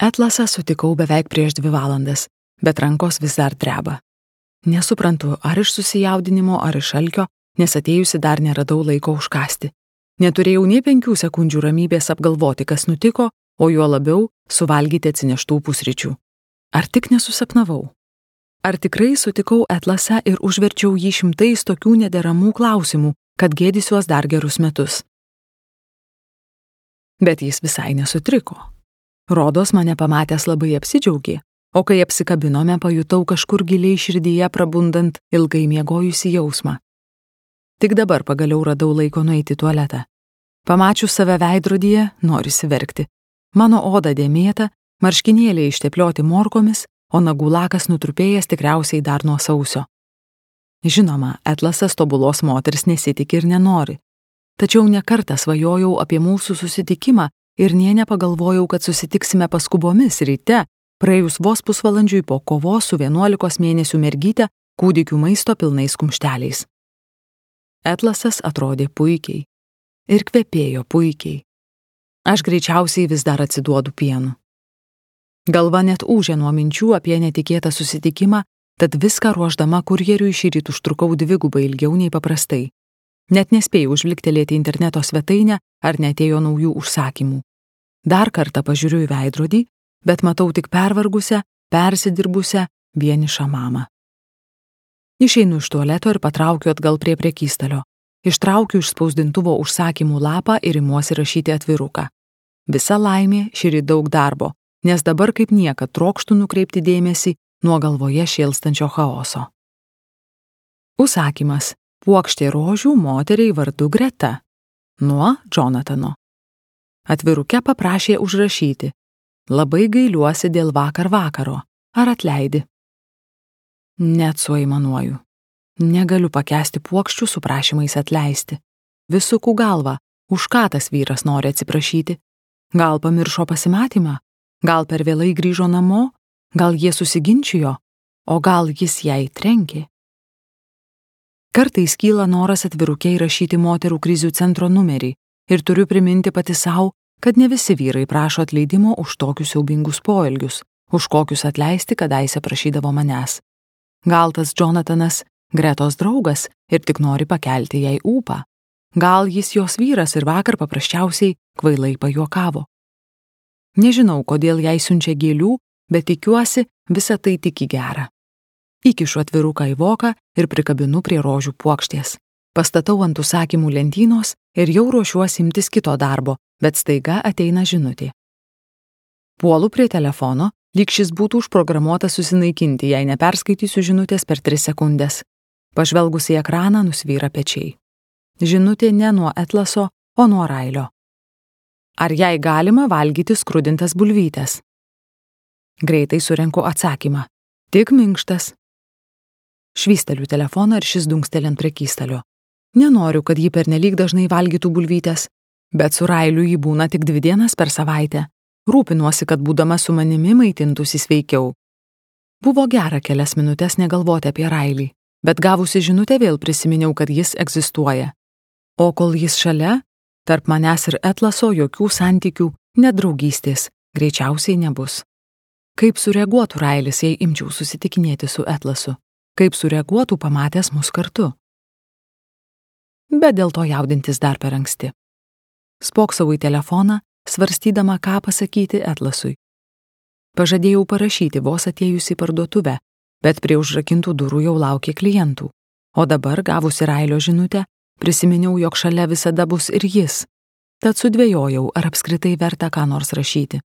Atlasą sutikau beveik prieš 2 valandas, bet rankos vis dar dreba. Nesuprantu, ar iš susijaudinimo, ar iš alkio, nes atėjusi dar neradau laiko užkąsti. Neturėjau nei 5 sekundžių ramybės apgalvoti, kas nutiko, o juo labiau suvalgyti atsineštų pusryčių. Ar tik nesusapnavau? Ar tikrai sutikau Atlasą ir užverčiau jį šimtais tokių nederamų klausimų, kad gėdysiuos dar gerus metus? Bet jis visai nesutriko. Rodos mane pamatęs labai apsidžiaugė, o kai apsikabinome, pajutau kažkur giliai širdyje prabundant ilgai miegojusi jausmą. Tik dabar pagaliau radau laiko nueiti į tualetą. Pamačius save veidrodyje, norisi verkti. Mano oda dėmėta, marškinėliai išteplioti morkomis, o nagų lakas nutrupėjęs tikriausiai dar nuo sausio. Žinoma, Atlasas tobulos moters nesitiki ir nenori. Tačiau nekartą svajojau apie mūsų susitikimą ir nė nepagalvojau, kad susitiksime paskubomis ryte, praėjus vos pusvalandžiui po kovos su 11 mėnesių mergyte kūdikių maisto pilnais kumšteliais. Atlasas atrodė puikiai ir kvepėjo puikiai. Aš greičiausiai vis dar atsiduodu pienu. Galva net ūžė nuo minčių apie netikėtą susitikimą, tad viską ruošdama kurjeriui šįryt užtrukau 2 ilgiau nei paprastai. Net nespėjau užliktelėti interneto svetainę, ar netėjo naujų užsakymų. Dar kartą pažiūriu į veidrodį, bet matau tik pervargusią, persidirbusią, vienišą mamą. Išeinu iš tualeto ir patraukiu atgal prie prekystalio. Ištraukiu iš spausdintuvo užsakymų lapą ir imuosi rašyti atviruką. Visa laimė, šįryt daug darbo, nes dabar kaip niekad trokštu nukreipti dėmesį nuo galvoje šėlstančio chaoso. Užsakymas: puokštė rožių moteriai vardu Greta. Nuo Jonatano. Atviruke paprašė užrašyti: labai gailiuosi dėl vakar vakaro. Ar atleidi? Net suaimanuoju. Negaliu pakęsti puokščių su prašymais atleisti. Vis suku galvą, už ką tas vyras nori atsiprašyti. Gal pamiršo pasimatymą? Gal per vėlai grįžo namo? Gal jie susiginčijo? O gal jis jai trenkė? Kartais kyla noras atviruke įrašyti moterų krizių centro numerį ir turiu priminti pati sau, kad ne visi vyrai prašo atleidimo už tokius siaubingus poelgius, už kokius atleisti kadaise prašydavo manęs. Gal tas Jonatanas Gretos draugas ir tik nori pakelti jai ūpą. Gal jis jos vyras ir vakar paprasčiausiai kvailai pajuokavo. Nežinau, kodėl jai siunčia gėlių, bet tikiuosi, visa tai tik į gerą. Įkišu atviruką į voką ir prikabinu prie rožių puokštės. Pastatau ant užsakymų lentynos ir jau ruošiuosi imtis kito darbo, bet staiga ateina žinutė. Puolu prie telefono, lyg šis būtų užprogramuotas susinaikinti, jei neperskaitysiu žinutės per 3 sekundės. Pažvelgus į ekraną nusvyra pečiai. Žinutė ne nuo Atlaso, o nuo Railio. Ar jai galima valgyti skrudintas bulvytes? Greitai surenku atsakymą. Tik minkštas. Švysteliu telefoną ir šis dunkteli ant prekystalio. Nenoriu, kad ji pernelyg dažnai valgytų bulvytes, bet su Railiu ji būna tik 2 dienas per savaitę. Rūpinuosi, kad būdama su manimi maitintųsi sveikiau. Buvo gera kelias minutės negalvoti apie Railį, bet gavusi žinutę vėl prisiminiau, kad jis egzistuoja. O kol jis šalia, tarp manęs ir Atlaso jokių santykių, net draugystės, greičiausiai nebus. Kaip sureaguotų Railis, jei imčiau susitikinėti su Atlasu? Kaip sureaguotų pamatęs mus kartu? Bet dėl to jaudintis dar per anksti. Spoksau į telefoną, svarstydama, ką pasakyti Atlasui. Pažadėjau parašyti vos atėjus į parduotuvę, bet prie užrakintų durų jau laukė klientų. O dabar, gavusi Railio žinutę, prisiminiau, jog šalia visada bus ir jis. Tad sudvejojau, ar apskritai verta ką nors rašyti.